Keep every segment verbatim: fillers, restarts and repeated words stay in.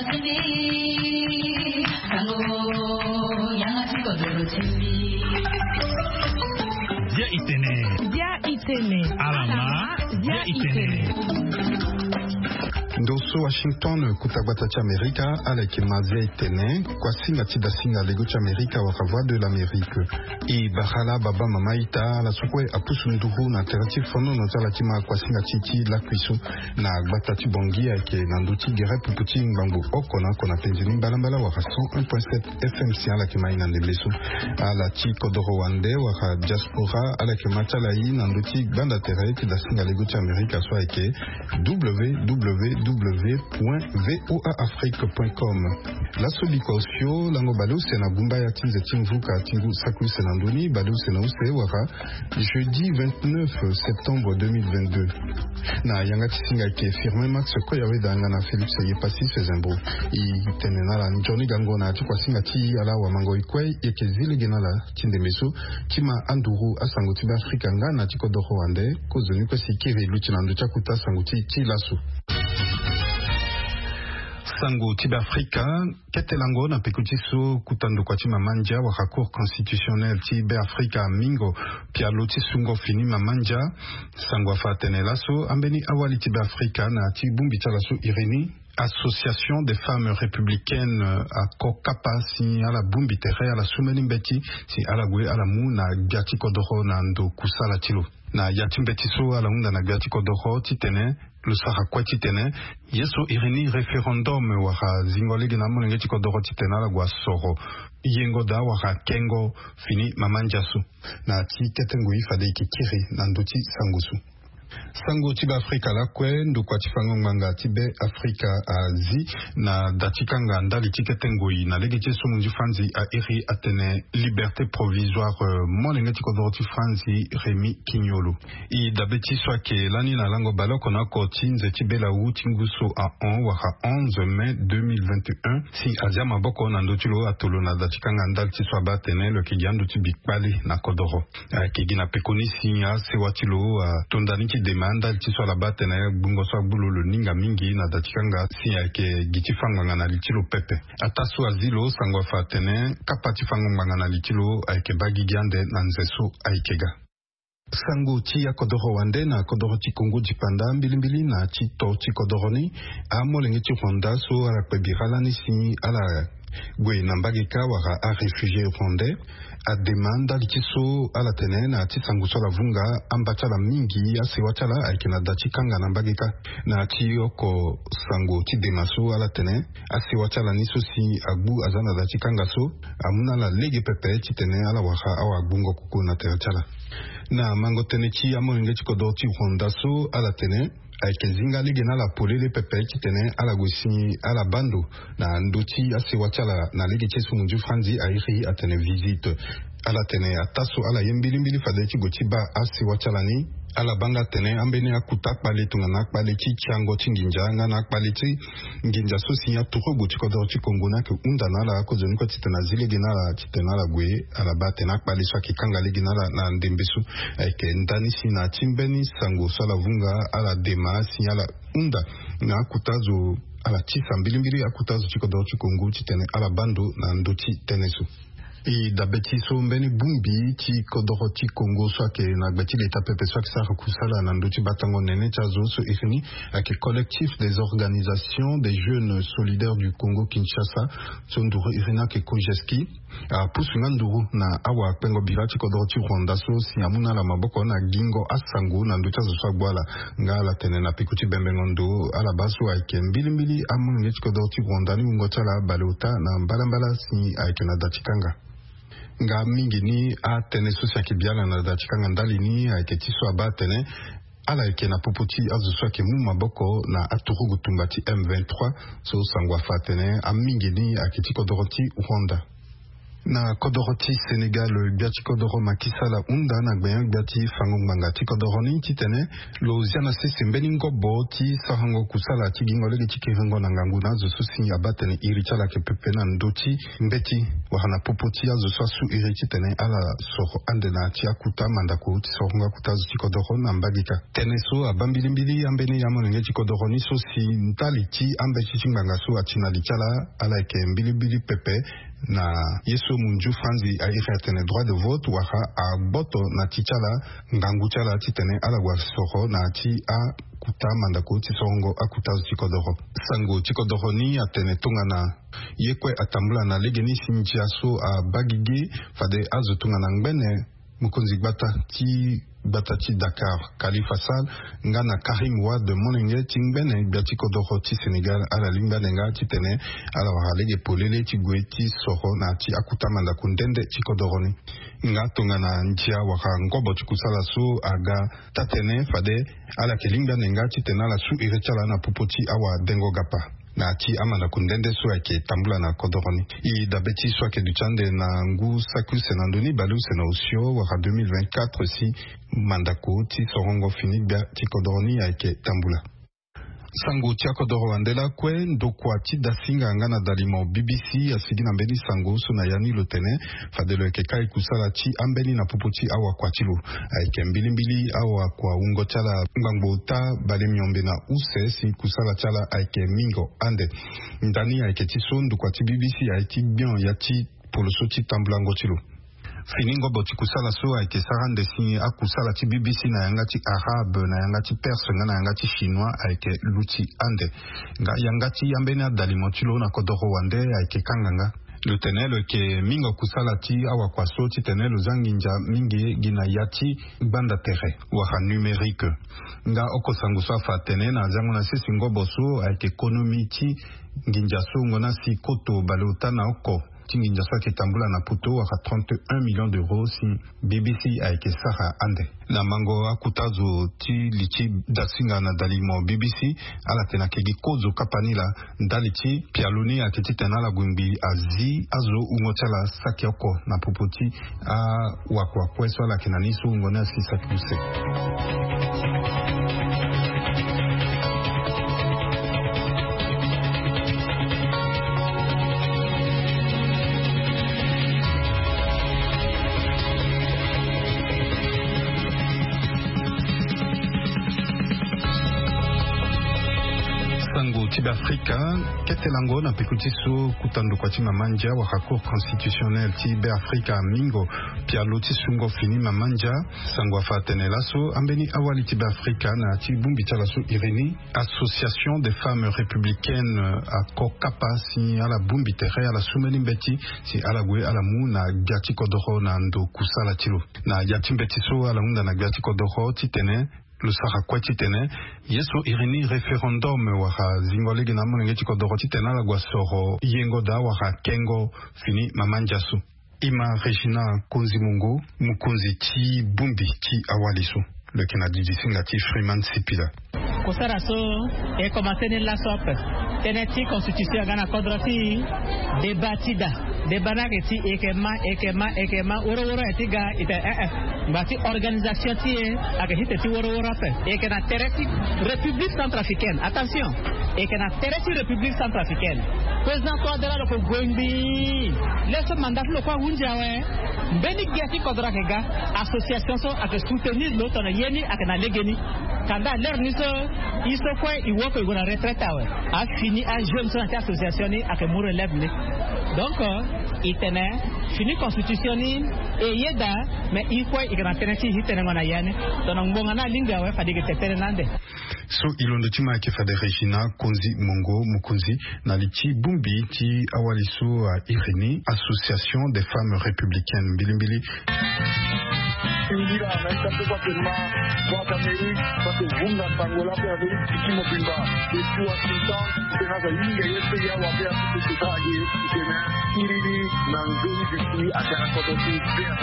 Dia itene. Dia itene. Alama. Dia itene. Ndo so Washington, kota gbata ti Amerika, ala yeke ma Dia itene, kuasinga ti dasinga lego ti Amerika wala Voix de l'Amérique. E bara ala baba mama ita, ala so kue apusu nduru na tere ti fonono ti ala ti ma kuasinga ti ti lakui so na gbata ti Bangui ayeke na ndö ti gere pupu ti ngbangbo oko na oko na penze ni mbalambala wala cent un point sept F M si ala yeke ma ye na ndembe so. Ala ti kodoro wande wala diaspora ala yeke ma ti ala ye na ndö ti gbanda tere ti dasinga lego ti Amerika so ayeke W W W point V O A Afrique point com. Laso biko osio lango baleuse na gumba ya ti nze ti mvuka ti ngu saki use na ndö ni baleuse na use wala jeudi vingt-neuf septembre deux mille vingt-deux. Na yanga ti singa ayeke Firmin Max Koyaweda nga na Félix Yepassis Fezembo. E tene na ala nzoni gango na ya ti kuasinga ti ala wamango e kue e yeke zi lege na ala ti ndembe so ti ma anduru asango ti Beafrika nga na ti kodoro wande. Kozoni kue si kiri e luti na ndö ti akuta sango ti ti laso. Sango ti Beafrika. Kete lango na peko ti so kota ndokua ti mama ndia wala Cour constitutionnelle ti Beafrika amingo pialo ti sungo fini mama ndia. Sango afa atene laso ambeni awali ti Beafrika na ya ti bongbi ti ala so iri ni Association des Femmes Républicaines, ako kapa si ala bongbi tere ala su mbeni mbeti si ala gue ala mu na gbia ti kodoro na ndo kusala ti lo. Na ya ti mbeti so ala hunda na gbia ti kodoro titene lo sara kue titene ye so iri ni référendum wala zingo lege na amolenge ti kodoro titene ala gue asoro yengo daa wala kengo fini mama ndia so. Na ya ti kete ngoi fade e yeke kiri na ndö ti sango so. Sango ti Beafrika lakue ndokua ti fango ngbanga ti Beafrika azi na da ti kanga ndali ti kete ngoi na lege ti so munzu franzi a iri atene liberté provisoire, euh, molenge ti kodoro ti franzi Rémy Quignolo. E dabe ti so ayeke lani na lango baleoko na oko ti nze ti belawu ti ngu so ahon wala onze mai deux mille vingt et un si azia maboko na ndö ti lo ato lo na da ti kanga ndali ti so abaa atene lo yeke gi ando ti bi kpale na kodoro. Ayeke gi na pekoni si asewa ti lo ato ndani ti dema ndali ti so ala baa atene gbungo so agbu lo lo ninga mingi na da ti kanga si ayeke gi ti fa ngbanga na li ti lo pepe. Ataa so azi lo sango afa atene kapa ti fango ngbanga na li ti lo ayeke baa gigi ande na nze so ayeke ga. Sango ti akodoro wande na kodoro ti Kongo dipanda mbilimbili na ti to ti kodoro ni. Amolenge ti Rwanda so ala kpe bira lani si ala gue na mbage kâ wala aréfugié rwandais adema ndali ti so ala tene na ya ti sango so ala vunga amba ti ala mingi asewa ti ala ayeke na da ti kanga na mbage kâ. Na ya ti oko sango ti dema so ala tene asewa ti ala ni so si agbu aza na da ti kanga so amu na ala lege pepe titene ala wara awagbungo koko na tere ti ala. Na mango tënë ti amolenge ti kodoro ti Rwanda so ala tene ayeke zinga lege na ala polele pepe titene ala gue si ala baa ndo na ndö ti asewa ti ala na lege ti so munzu franzi airi atene visite. Ala tene ataa so ala ye mbilimbili fade ti gue ti baa asewa ti ala ni ala baa nga atene ambeni akuta akpale tongana akpale ti tiango ti nginza nga na akpale ti nginza so si aturugu ti kodoro ti Kongo ni ayeke hunda na ala akozoni kue titene azi lege na ala titene ala gue. Ala baa atene akpale so ayeke kanga lege na ala na ndembe so ayeke ndani si na ya ti mbeni sango so ala vunga ala dema si ala hunda na akuta azo ala tisa mbilimbili akuta azo ti kodoro ti Kongo titene ala baa ndo na ndö ti tënë so. E dabe ti so mbeni bongbi ti kodoro ti Kongo so ayeke na gbe ti leta pepe so ayeke sara kusala na ndö ti batango nene ti azo so iri ni ayeke Collectif des organisations des jeunes solidaires du Congo Kinshasa, so nduru iri ni ayeke COGESCI, apusu nga nduru na awakpengo bira ti kodoro ti Rwanda so si amu na ala maboko na gingo asango na ndö ti azo so agbu ala. Nga ala tene na peko ti bembengo ndo ala baa so ayeke mbilimbili amolenge ti kodoro ti Rwanda ni wungo ti ala baleota na mbalambala si ayeke na da ti kanga. Nga mingi ni atënë so si ayeke bi ala na da ti kanga ndali ni ayeke ti so abaa atene ala yeke na popo ti azo so ayeke mu maboko na aturugu tumba ti M vingt-trois so sango afa atene amingi ni ayeke ti kodoro ti Rwanda. Na kodoro ti Sénégal, gbia ti kodoro Macky Sall ahunda na gbenyo-gbia ti fango ngbanga ti kodoro ni titene lo zia na sese mbeni ngobo ti sarango kusala ti gingo lege ti kiringo na ngangu na azo so si abaa tene iri ti ala ayeke pepe na ndö ti mbeti, wala na popo ti azo so asu iri titene ala soro ande na ya ti akuta mandako ti sorongo akuta azo ti kodoro na mbage kâ. Tënë so abaa mbilimbili ambeni amolenge ti kodoro ni so si ndali ti ambeti ti ngbanga so ati na li ti ala, ala yeke mbilimbili pepe na ye so munzu franzi a iri atene droit de vote, wala agboto na ti ti ala ngangu ti ala titene ala gue soro na ya ti akuta mandako ti sorongo akuta azo ti kodoro. Sango ti kodoro ni atene tongana ye kue atambula na legeni si ndia so abaa gigi, fade azo tongana ngbene mokonzi gbata ti gbata ti Dakar, Khalifa Sall, nga na Karim Wade, molenge ti ngbene gbia ti kodoro ti Sénégal, ala lingbi ande nga titene ala wara lege polele ti gue ti soro na ya ti akuta mandako nde nde ti kodoro ni. Nga tongana ndia wala ngobo ti kusala so aga taa-tënë, fade ala yeke lingbi ande nga titene ala su iri ti ala na popo ti awadengo-gapa na ya ti amandako nde nde so ayeke tambula na kodoro ni. E dabe ti so ayeke duti ande na ngu saki use na ndö ni bale use na osio wala deux mille vingt-quatre si mandako ti sorongo fini gbia ti kodoro ni ayeke tambula. Sango ti akodoro wande lakue, ndokua ti Dasinga nga na dalimo B B C asigi na mbeni sango so na ya ni lo tene fade lo yeke kai kusala ti ambeni na popo ti awakua ti lo. Ayeke mbilimbili awakua wungo ti ala ngbangbo ota bale miombe na use si kusala ti ala ayeke mingo ande. Ndani ayeke ti so ndokua ti B B C aye ti gbion ya ti poloso ti tambulango ti lo. Fini ngobo ti kusala so ayeke sara ande si akusala ti B B C na yanga ti arabe, na yanga ti perse nga na yanga ti chinois ayeke luti ande. Nga yanga ti ambeni adalimo ti lo na kodoro wande ayeke kanga nga. Lo tene lo yeke mingo kusala ti awakua so titene lo za nginza mingi gi na ya ti gbanda tere wala numérique. Nga oko sango so afa atene na zango na sese ngobo so ayeke konomi ti nginza so wungo na si koto bale ota na oko ti nginza so ayeke tambula na poto wala trente et un millions d'euros si B B C ayeke sara ande. Na mango akuta zo ti li ti Dasinga na dalimo B B C, ala tene ayeke gi kozo kapa ni laa ndali ti pialo ni ayeke titene ala gue ngbii azi azo wungo ti ala saki oko na popo ti awakua kue so ala yeke na ni so wungo ni asi saki use. Sango ti Beafrika, kete lango na peko ti so kuta ndokua ti mama ndia wala Cour constitutionnelle ti Beafrika mingo pialo ti sungo fini mama ndia. Sango afa atene laso ambeni awali ti Beafrika na ya ti bongbi ti ala so iri ni Association des Femmes Républicaines ako kapa si ala bongbi tere, ala su mbeni mbeti si ala gue ala mu na gbia ti kodoro na ndo kusala ti lo. Na ya ti mbeti so ala hunda na gbia ti kodoro titene lo sara kue titene ye so iri ni référendum wala zingo lege na amolenge ti kodoro titene ala gue asoro yengo daa wala kengo fini mama ndia so. E ma Regina Konzi Mongo, mokonzi ti bongbi ti awali so, lo yeke na didi singa ti Freeman Sipila. Kusara so e komanse ni laso ape. Tënë ti constitution aga na kodro ti e, débat ti da. Débat ni ayeke ti e yeke ma, e yeke ma, e yeke ma, woro woro aye ti ga e tene eh eh. Ngba ti organisation ti e ayeke ti tene ti woro woro ape. E yeke na tere ti République centrafricaine. Attention. E yeke na tere ti République centrafricaine. Président Touadéra lo yeke gue ngbii. Laso mandat ti lo kue ahunzi awe. Mbeni gbia ti kodro ayeke ga. Association so ayeke soutenir lo tongana ye ni ayeke na legeni. Kanda lere ni so e so kue e woko e gue na retraite awe. Afini ajeune so na ya ti association ni ayeke mu relève ni. Donc e tene fini constitution ni e yeda. Mais e kue e yeke na tënë ti e ti tenengo na ya ni. Tongana ngbonga ni alingbi awe fade e yeke tene tënë ni ande. So e londo ti ma ayeke fade Regina Konzi Mongo, mokonzi na li ti bongbi ti awali so a iri ni Association des Femmes Républicaines. Mbilimbili. Singira na ita pepa pema Voix d'Amérique, parce que vunga sango la pe avec Tiki Mobimba depuis Washington. Tena za yinga ye pe ya wa pe a pe sota age tena kiriri na nzoni bisi a tena koto ti pe a.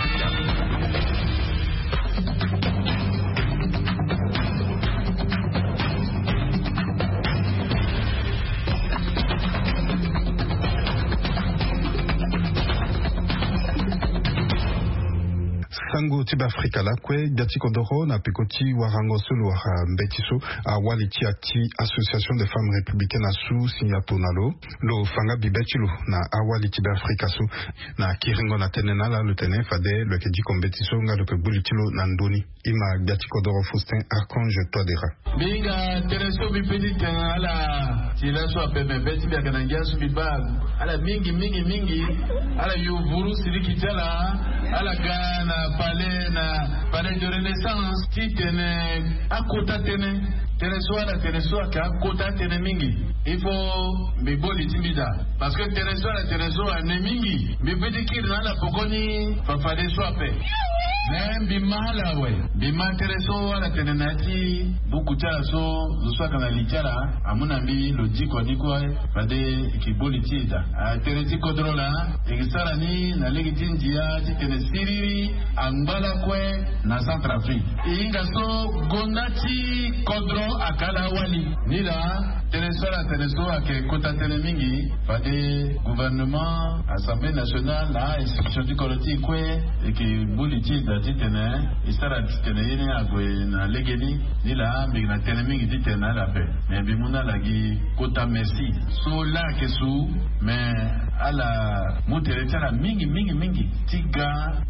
Sango ti be afrika lakue gbia ti kodoro na peko ti warango so lo wara mbeti so awali ti ya ti association de femmes républicaines asu si ato na lo lo fanga bibe ti lo na awali ti be afrika so. Na kiringo na tënë na ala lo tene fade lo yeke diko mbeti so nga lo yeke gbu li ti lo na ndoni. Ima gbia ti kodoro faustin archange toidera. Mbi hinga tënë so mbi pe ti tene na ala. Ti laso ape me be ti mbi ayeke na ngia so mbi baa ala mingi mingi mingi. Ala yo vuru siriki ti ala. Ala ga na palais na palais de renaissance ti tene akota tënë. Tënë so ala tene so ayeke akota tënë mingi. Il faut mbi boli ti mbi daa parce que tënë so ala tene so ane mingi. Mbi pe ti kiri na ala poko ni fafade so ape. Me mbi ma ala awe. Mbi ma tënë so ala tene na ya ti buku ti ala so zo so ayeke na li ti ala amu na mbi lo diko ni kue. Fade e ke boli ti e daa. Atënë ti kodro laa e ke sara ni na lege ti ndia ti tene siriri angba lakue na centrafrique. E hinga so gonda ti kodro ayeke ala awali. Ni laa tënë so ala tene so ayeke kota tënë mingi. Fade gouvernement assemblée nationale na a-institution ti kodro ti e kue e ke boli ti e daa titene e sara titene ye ni ague na legeni. Ni laa mbi yeke na tënë mingi titene na ala ape. Me mbi mu na ala gi kota merci so laa ayeke su. Me ala mu tere ti ala mingi mingi mingi ti ga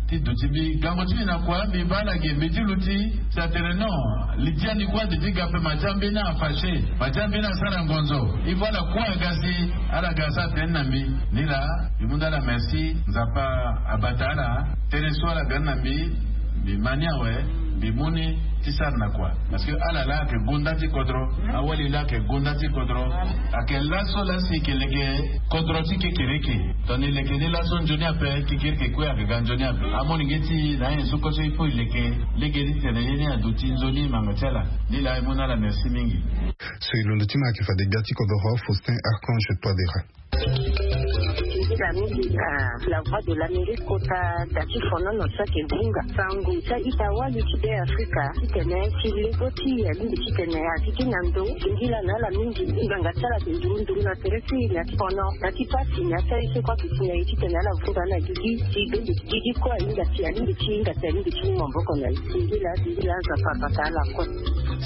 ti duti mbi gango ti mbi na kua mbi baa ala gi mbi ti luti. Si atene non li ti ani kue ade ti ga ape ma ti ambeni afache ma ti ambeni asara ngonzo. Il faut ala kue aga si ala ga asara tënë na mbi. Ni laa mbi mu nda ala merci nzapa abata ala. Tënë so ala ga ni na mbi mbi ma ni awe. Mbi mu ni ti sara na kua parce que ala laa ayeke gonda ti kodro. Awali laa ayeke gonda ti kodro. Ayeke laso laa si e ke leke kodro ti kekereke. Tongana e leke ni laso nzoni ape kekereke kue ayeke ga nzoni ape. Amolenge ti e na anyen so kue so il faut e leke lege ti tene ye ni aduti nzoni manga ti ala. Ni laa e mu na ala merci mingi. So e londo ti ma ayeke fade gbia ti kodoro faustin archange toidera. Ti da mingi na la voix de l'amérique kota da ti fonono so ayeke bunga sango ti a-ita wali ti be afrika titene ti lego ti alingbi titene azi ti na ndo. Ngila na ala mingi ngbanga ti ala ti nduru nduru na tere ti na ti fono na ti pasi na ti aye so kue ake si na ye titene ala vunga na gigi ti gbende ti gigi kue ahinga ti alingbi ti hinga ti alingbi ti mu maboko na ye. Ngila ngila nzapa abata ala kue.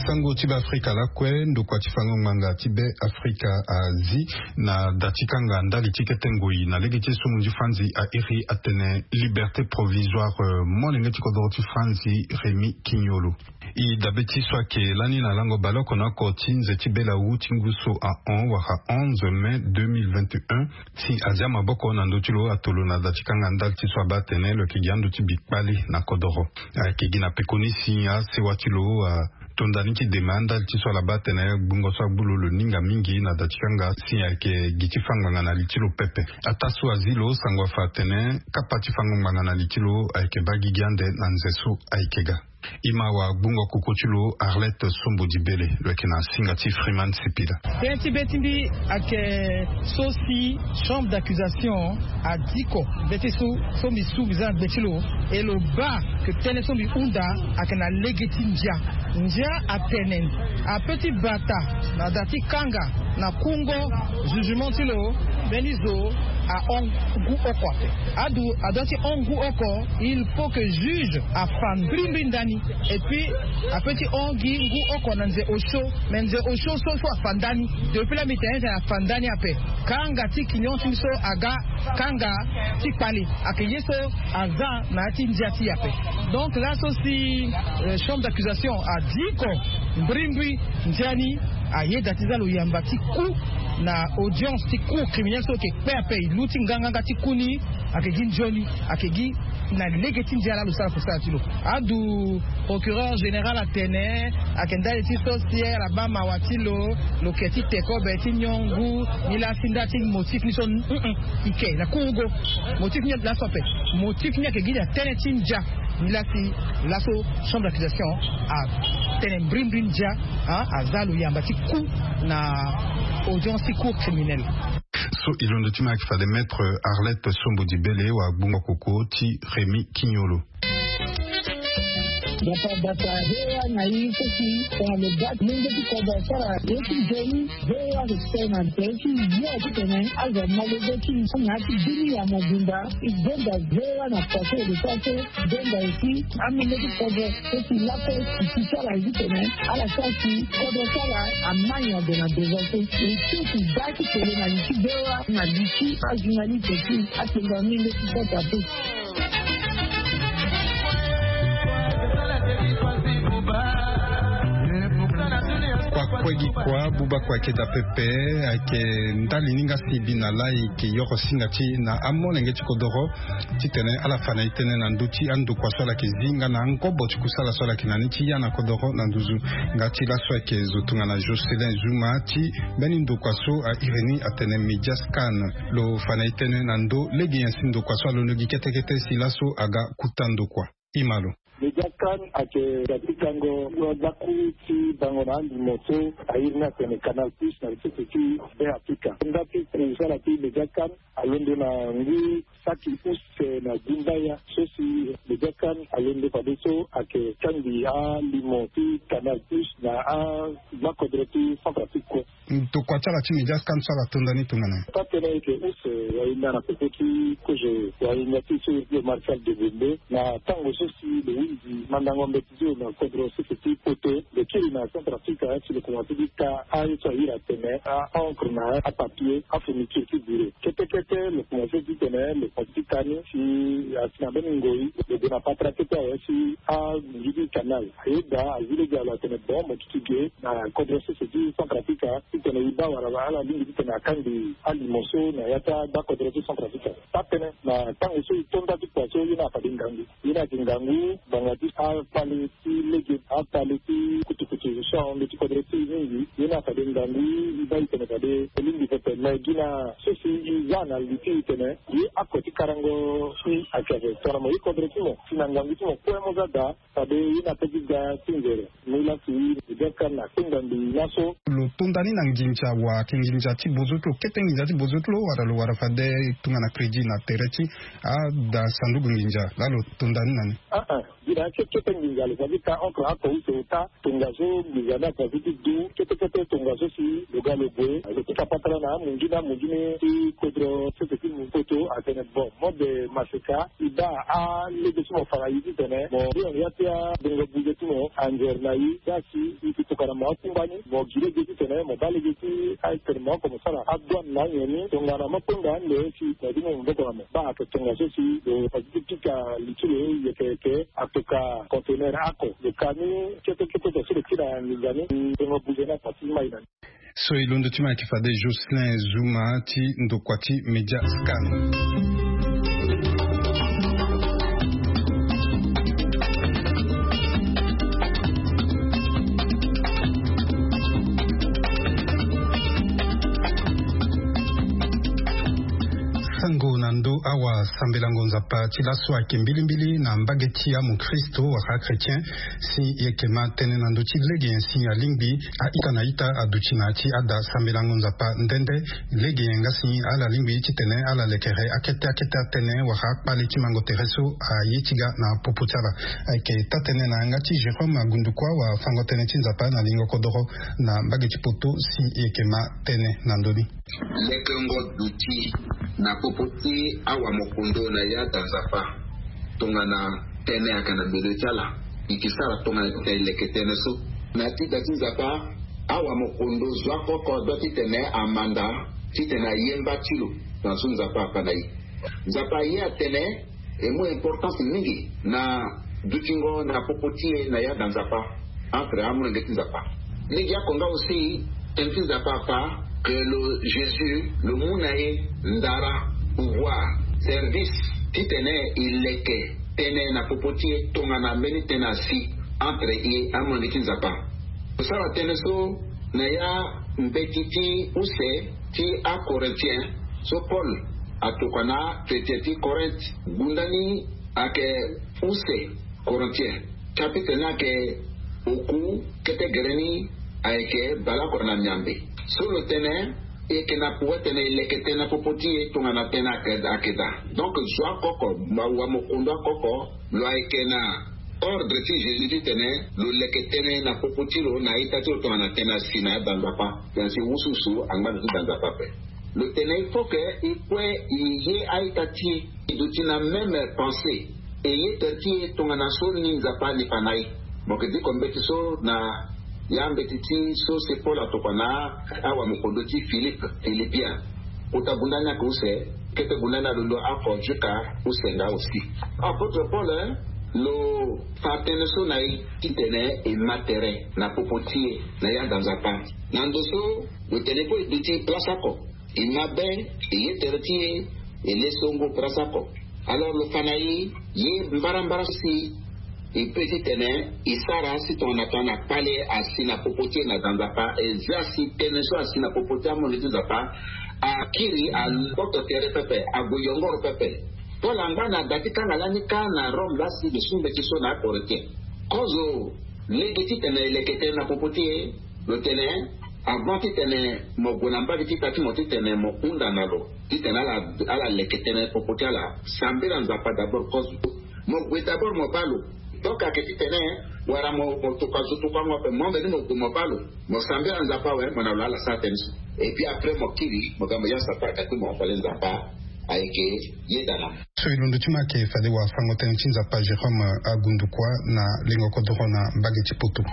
Sango ti be afrika lakue ndokua ti fango ngbanga ti be afrika azi na da ti kanga ndali ti kete ngoi na lege ti esomu ti franzi airi atene liberté provisoire molenge ti kodoro ti franzi rémi kignolo. E dabe ti so ayeke lani na lango bale oko na oko ti nze ti bela wu ti ngu so ahon wala onze mai deux mille vingt et un. Si azia maboko na ndö ti lo ato lo na da ti kanga ndali ti so abaa atene lo yeke gi ando ti bi kpale na kodoro. Ayeke gi na pekoni si asewa ti lo atonda ni ti dema ndali ti so ala baa atene gbungo so agbu lo lo ninga mingi na da ti kanga si ayeke gi ti fa ngbanga na li ti lo pepe. Ataa so azi lo sango afa atene kapa ti fango ngbanga na li ti lo ayeke baa gigi ande na nze so ayeke ga. E ma wagbungo koko ti lo arlette sombo di bele lo yeke na singa ti freeman sipila. Tënë ti be ti mbi ayeke so si chambre d'accusation adiko be ti so so mbi su mbi za na gbe ti lo. E lo baa ke tënë so mbi hunda ayeke na lege ti ndia. Ndia atene ape ti bata na da ti kanga na kungo jugement ti lo. Mbeni zo ahon ngu oko ape. Adu adua ti hon ngu oko. Il faut que juge afa mbrimbri ndani. Et puis ape ti hon gi ngu oko na nze osio. Mais nze osio so so afa ndani. Depuis la mbi tene tene afa ndani ape. Kanga ti kignon ti mbi so aga kanga ti kpale. Ayeke ye so aza na ya ti ndia ti e ape. Donc laso si chambre d'accusation adiko mbrimbri ndia ni. Ayeda ti za lo yamba ti ku na audience ti cour criminel so yeke kpe ape e lu ti nganganga ti ku ni. Ayeke gi nzoni ayeke gi na lege ti ndia laa lo sara kusala ti lo. Adu procureur général atene ayeke ndali ti so si ala baa mawa ti lo. Lo ke ti te kobe ti nyon ngu. Ni laa si nda ti motif ni so e ke na kungo motif ni laso ape. Motif ni ayeke gi na tënë ti ndia. Ni laa si laso chambre d'accusation atene mbrimbri ndia. Aza lo yamba ti ku na audience ti cour criminel. So e londo ti ma ayeke fade maître arlette sombo di bele wagbungo koko ti rémi kignolo. Bata bata hewa na i kosi tongana lo ga lenge ti kodro asara ye ti nzoni. Hewa respect na nze ti yo ti tene azo malege ti na ti bini ya mobimba. I gbenda hewa na pase de sa so gbenda esi amenge ti kodro. Kosi lape ti sara ye ti tene ala sara si kodro sara amani ado na devant so. Esi ti ga ti tele na li ti hewa na li ti ajournaliste ti atenga menge ti kota pe. Kua kue gi kua buba kua eke da pepe. Ake ndali ni nga si bi na lai ke yoro singa ti na amolenge ti kodoro ti tene ala fa na e tënë na ndö ti andokua so ala ke zi nga na angobo ti kusala so ala ke na ni ti ya na kodoro na nduzu. Nga ti laso ake zo tongana Jocelyn Zuma ti mbeni ndokua so a iri ni atene Mediascan. Lo fa na e tënë na ndö lege nyen si ndokua so alondo gi kete kete si laso aga kuta ndokua. Imalo. Mediascan ake ga ti kango gbakuru ti bango na alimo so a iri ni atene Canal Plus na lisese ti Be Afrika. Nga ti kusala ti Mediascan alondo na ngu saki use na gumbaya so si Mediascan alondo fadeso ake kangbi alimo ti Canal Plus na agbakodro ti Centrafrique kue. Tokua ti ala ti Mediascan so ala tonda ni tongana nyen? Taa tënë eke use wahinda na popo ti kozo wahinda ti so iri ti lo Marcel Degonde na tango so si lo hunzi mandango mbeti ti lo na kodro sese ti poto. Lo kiri na Centrafrique si lo komanse ti ka aye so a iri atene a-encre na apapier, afourniture ti bure. Kete kete lo komanse ti tene lo komanse ti ka ni si asi na mbeni ngoi lo gue na patara kete awe si anginzi ti canal. Ayeda azi lege alo atene bon mo duti ge na kodro sese ti Centrafrique ti tene e baa wala ala lingbi ti tene akangbi alimo so na ya ti agbakodro ti Centrafrique. Taa tënë na tango so e to nda ti kua so ye ni afade ngangu. Ye ni ayeke ngangu ngbanga ti akpale ti lege, akpale ti kutukutu so ahon ndö ti kodro ti e mingi. Ye ni afade ngangu e baa e tene fade e lingbi pepe me gi na so si e za na li ti e tene ye ako ti karango si ayeke ape tongana mo ye kodro ti mo si na ngangu ti mo kue mo za daa. Fade ye na pe ti ga ti nzere. Mu laa si Mediascan na kpengba mbi laso. Lo tonda ni na nginza wa ayeke nginza ti bozo ti lo kete nginza ti bozo ti lo wala lo wara fade tongana crédit na tere ti ada sanduku nginza laa lo tonda ni na ni? Aa, gi na ya ti kete nginza lo fa ti ka encre ako use ota tongaso nginza ni ako fa ti du kete kete tongaso si lo ga lo gue lo pika patara na amungi na amungi ni ti kodro sese ti poto atene bon mode maseka. E baa alege ti mo fa na e ti tene mo ye na ya ti abongo buze ti mo anzere na e. Za si e ke tokua na mo akungba ni mo gi lege ti tene mo baa lege ti atene mo oko mo sara adouane na anyen ni tongana mo kpengba ande si mo ye ti mo maboko na mo. Baa ayeke tongaso si lo fa ti pika li ti lo yeke yeke atoka conteneur ako lo ka ni kete kete so lo ti na nginza ni. Bongo buze ni afa ti mai na ni. So e londo ti ma ayeke fade Jocelyn Zuma ti ndokua ti Mediascan. Sango na ndö awasambelango Nzapa ti laso ayeke mbilimbili na mbage ti amokristo wala achrétien. Si e yeke ma tënë na ndö ti lege nyen si alingbi a-ita na ita aduti na ya ti ada sambelango Nzapa nde nde. Lege nyen nga si ala lingbi ti tene ala lekere akete akete atënë wala akpale ti mango tere so aye ti ga na popo ti ala. Ayeke taa-tënë na yanga ti Jérôme Agundukua wafango-tënë ti Nzapa na lingo kodoro na mbage ti poto si e yeke ma tënë na ndö ni. Lekengo duti na popo ti awamokondo na ya da Nzapa. Tongana tënë ayeke na mbele ti ala e ke sara tongana titene e leke tënë so. Na ya ti da ti Nzapa awamokondo zo oko oko adua titene amanda titene aye mba ti lo. Na so Nzapa afa na e. Nzapa aye atene e mu importance mingi na dutingo na popo ti e na ya da Nzapa. Entre amolenge ti Nzapa. Lege oko nga aussi tënë ti Nzapa afa que lo Jésus lo mu na e ndara, pouvoir, service titene e leke tënë na popo ti e tongana mbeni tënë asi entre e amolenge ti Nzapa. Lo sara tënë so na ya mbeti ti use ti aCorinthiens so Paul atokua na chrétien ti Corinthe. Gunda ni ayeke use Corinthiens chapitre ni ayeke oku kete gere ni ayeke baleoko na miambe. So lo tene e yeke na pouvoir titene e leke tënë na popo ti e tongana tënë ayeke daa. Donc zo oko oko, wamokondo oko oko lo ayeke na Ordre ti Jésus titene lo leke tënë na popo ti lo na a-ita ti lo tongana tënë asi na ya da nzapa. Tënë asi wusuwusu angba na ti da nzapa ape. Lo tene il faut que e kue e ye a-ita ti e e duti na même pensée. E ye tere ti e tongana so ni nzapa ali fa na e. Mo yeke diko mbeti so na ya mbeti ti so se Paul atokua na awamokondo ti Philippe, Philippien. Kota gunda ni ayeke use, kete gunda ni alondo oko jusqu'à use nga aussi. Apôtre Paul, eh, lo fa tënë so na e titene e ma tere na popo ti e na ya da nzapa. Na ndo so lo tene kue e duti place oko. E ma be, e ye tere ti e, e le songo place oko. Alors lo fa na e, ye mbarambara si e pe titene e sara si tongana tongana kpale asi na popo ti e na da nzapa, e zia si tënë so asi na popo ti amondo ti nzapa akiri, akpoto tere pepe, ague yongoro pepe. Paul angba na da ti kanga lani kâ na Rome laa si lo su mbeti so na aKorinthien. Kozo lege titene e leke tënë na popo ti e. Lo tene, avant titene mo gue na mbage ti ita ti mo titene mo hunda na lo titene ala, ala leke tënë popo ti ala, sambela nzapa d'abord kozo. Mo gue d'abord mo baa lo. Donc ayeke titene wala mo, mo tokua zo tokuango ape, mo mbeni mo gue mo baa lo, mo sambela nzapa awe, mo na lo ala sara tënë so. Et puis après mo kiri mo ga mo ya sapa, ayeke ti mo fade nzapa ayeke yeda na mo. So e londo ti mo ayeke fade wafango-tënë ti nzapa Jérôme Agundukua na lengo kodoro na mbage ti Poto.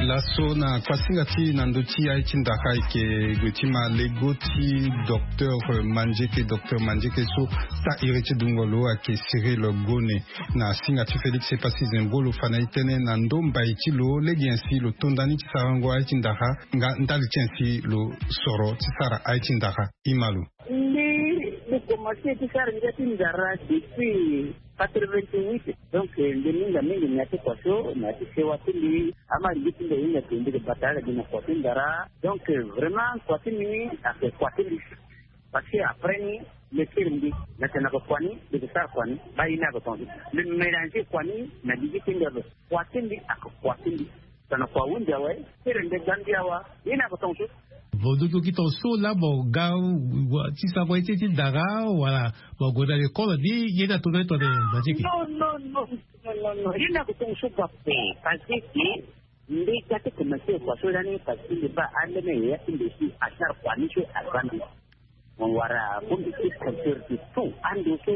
Laso na kuasinga ti na ndö ti aye ti ndara ayeke gue ti ma lego ti docteur Mandieke, docteur Mandieke so taa iri ti dungo lo ayeke Cyril Gone. Na singa ti Félix Epassi Zembro lo fa na e tënë na ndo mbai ti lo lege nyen si lo to nda ni ti sarango aye ti ndara nga ndali ti nyen si lo soro ti sara aye ti ndara. E ma lo. Mbi, mbi komanse ti sara ngia ti ndara depuis quatre-vingt-huit. Donc mbi minga mingi na ya ti kua so, na ya ti sewa ti mbi. Ama lege ti mbi ahinga ke mbi ke bata ala gi na kua ti ndara. Donc vraiment kua ti mbi ayeke kua ti mbi. Parce que après ni, mbi kiri mbi na tene na yeke kua ni, mbi ke sara kua ni, baa ye ni ayeke tongaso. Mbi mélanger kua ni na gigi ti mbi ape. Kua ti mbi ayeke kua ti mbi. Tongana kua ahunzi awe, kiri mbi ga mbi awa, ye ni ayeke tongaso. Mo duti lo gi tongaso laa mo ga ti sarango ye ti ye ti ndara wala mo gue na lekole ni, ye ni ato na ye tongana Mandieke? Non, non, non, non, non, non. Ye ni ayeke tongaso baa ape. Parce que mbi ga ti komanse kua so lani, parce que mbi baa alene yaya ti mbi si asara kua ni so aza mbi. Mo wara bongbi ti concert ti tout ando so.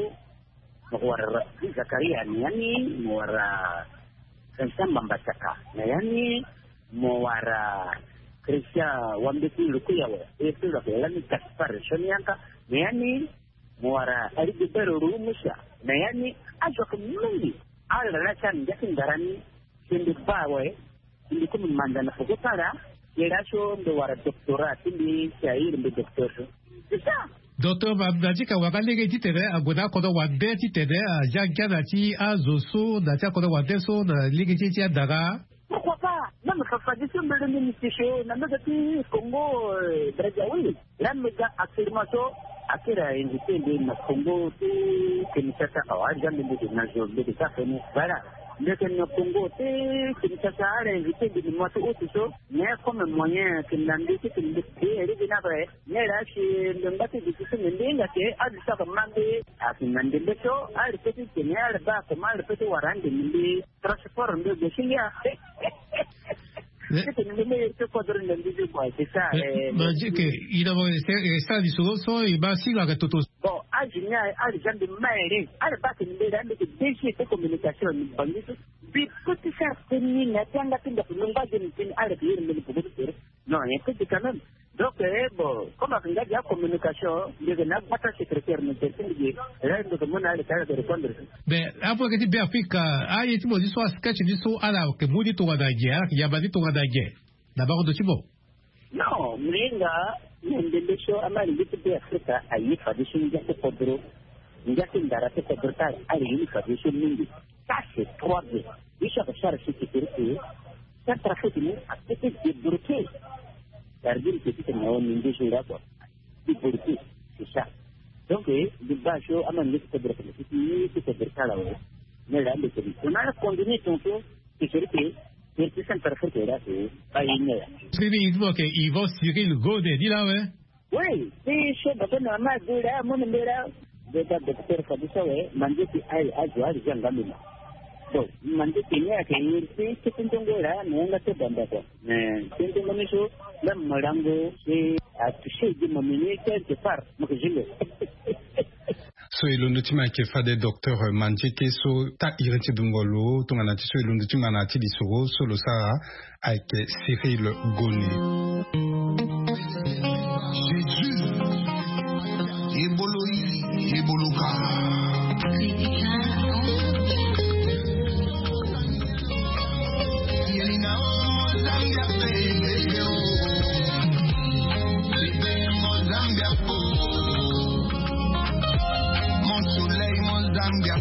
Mo wara Rabbi Zakaria na ya ni, mo wara Vincent Mambasaka na ya ni, mo wara Christian Wambeti Lukuyawe, e so lo yeke lani Gaspard Sonianka na ya ni, mo wara Rigobert Rumusa na ya ni. Azo ayeke mingi. Ala laa ti ala ngia ti ndara ni. Si mbi baa awe, si mbi komi manda na peko ti ala, ye laso mbi wara doctorat ti mbi, si a iri mbi docteur so. C'est ça. Docteur Ma-, Mandieke awara lege titene ague na akodro wande titene azia ngia na ya ti azo so na ya ti akodro wande so na lege ti ye ti andara. Pourquoi pas? Même Fafa Diso mbi loni mbi ti so na mbege ti Congo, euh, Brazzaville. Laa mbi ga actuellement so akiri ainvité mbi na Congo ti Kinshasa awa, azia mbi mbi ke na zo mbi ke sara feni. Voilà. Mbi yeke na Congo ti Kinshasa, ala invité mbi na mois ti août so. Mais comme moyen ayeke na mbi titene mbi ke lege ni ape. Mais laa si mbi ngba ti duti ti mbi, mbi hinga ke azo so ayeke ma mbi ayeke na ndembe so, ala pe titene ala baa comment ala pe ti wara ande na mbi. Transport mbi gue si ngia. Eh, titene mbi me iri ti kodro na mbi ti kua, c'est ça. Eh, eh, Mandieke, eh, i na mo reste, reste lisoro so e ma si lo ayeke toto. Bon, age ni aye, ala zia mbi ma ere. Ala baa tene mbi laa mbi yeke D G ti communication na Bangui so. Mbi pe ti sara feni na ya ti yanga ti ndaku, mbi ngba ge mbi tene ala yeke iri mbi na peko ti tere. Quand même. Donc, eh, bon, comme avec Ngadia communication, il y a un secrétaire, mais c'est une idée. Là, il nous demande à l'état de répondre. Ben, après que tu bien afrique, ah, il y a tout le monde, soit sketch, soit à la, que Moody, tout va d'ailleurs, il y a pas dit tout va d'ailleurs. D'abord, de Thibault. Non, mais là, il y a des choses à mal, il y a des africains, à y faire des choses, il y a des contrôles. Nga ti ndara ti kodro ti ala, ala ye ni fa de so mingi. Ça, c'est trois bien. Biso ayeke sara si ti kiri ti, ça, trafic ni a peut débloquer. Sardine, c'est tout na o mingi jour là, quoi. Débloquer, c'est ça. Donc, eh, di baa so ama nge ti kodro ti, ti kodro ti ala awe. Mais là, on a continué ton tour. Ti kiri ti, ti Centrafrique là, c'est pas une heure. Siril, il faut que Yvan Siril Gode di là, ouais. Oui, ti so baba na mama adu laa amu na mbela. Beta docteur Fadusa we, manze ti aye azo ali zia ngambi ma. Bon, manze ti ni ayeke iri ti ti ti ndongo laa na yanga ti bamba kua. Mais ti ndongo ni so, même molango ti atouché di mo mini quelque part mo ke zingo. So e londo ti ma ayeke fade docteur Mandieke so taa iri ti dungo lo tongana ti so e londo ti ma na ya ti lisoro so lo sara. Ayeke Cyril Gone. Jésus, ebolo i, ebolo ka. Mon soleil, mon Zambia.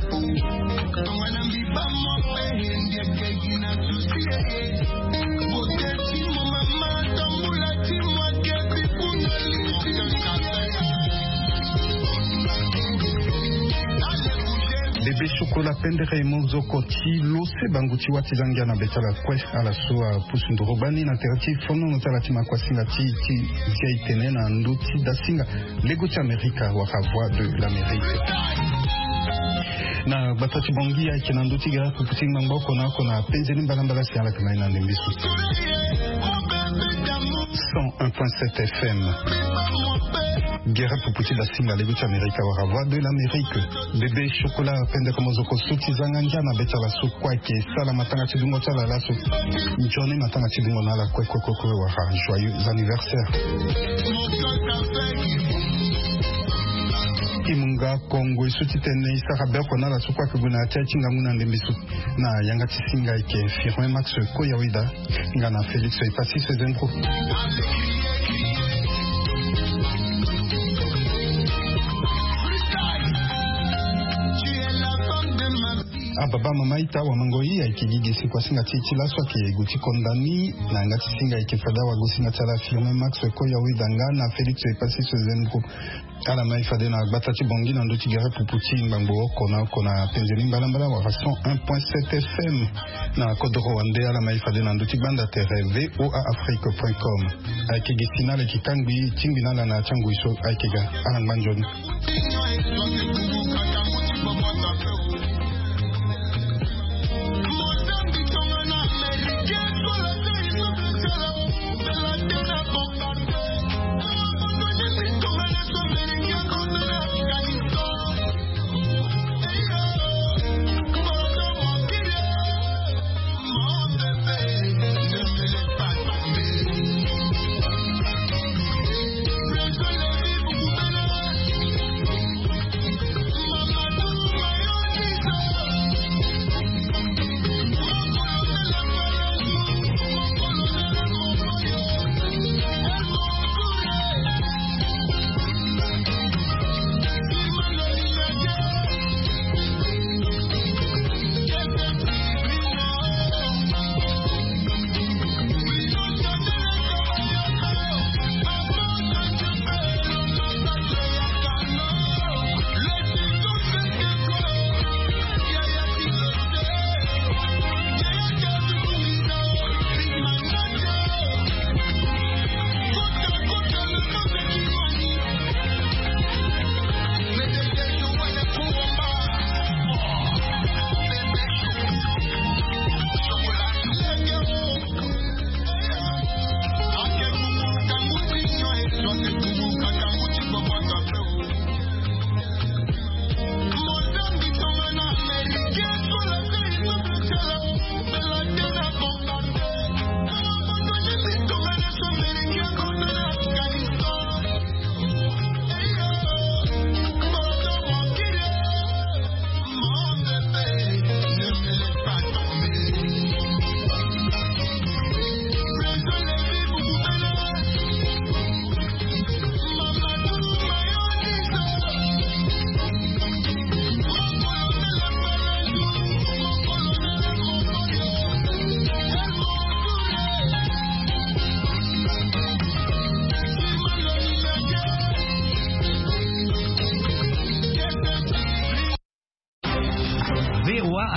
Bébé Chocolat, pendere mo zo ko ti lo se bangu ti wâ ti za ngia na be ti ala kue. Ala so apusu nduru bani na tere ti fonono ti ala ti makuasinga ti ti zia e tene na ndö ti dasinga lego ti Amerika wala Voix de l'Amérique. Na gbata ti Bangui ayeke na ndö ti gere pupu ti ngbangbo oko na oko na penze ni mbalambala si ala yeke na ye na ndembe so. Cent un point sept F M. Gere pupu ti dasinga lego ti Amerika wala Voix de l'Amérique. Bébé Chocolat, pendere mo zo ko so ti za ngia na be ti ala so kue ayeke sala matanga ti dungo ti ala laso. Nzoni matanga ti dungo na ala kue kue kue kue wala joyeux anniversaire. Ti munga Kongo e so ti tene e sara be oko na ala so kue ayeke gue na ya ti aye ti ngangu na ndembe so. Na yanga ti singa ayeke Firmin Max Koyawida nga na Félix Epassis Zendro. Ababa mama ita wamango i ayeke gi gi si kuasinga ti e ti laso ayeke gue ti konda ni. Na yanga ti singa ayeke fade awagosinga ti ala Firmin Max Koyawida nga na Félix Epassis Zendro. Ala ma e fade na gbata ti Bangui na ndö ti gere pupu ti ngbangbo oko na oko na penze ni mbalambala wala cent un point sept F M. Na kodoro wande ala ma e fade na ndö ti gbanda tere V O A Afrique point com. Ayeke gi si na ala yeke kangbi tingbi na ala na ya ti angui so ayeke ga. Ala ngba nzoni.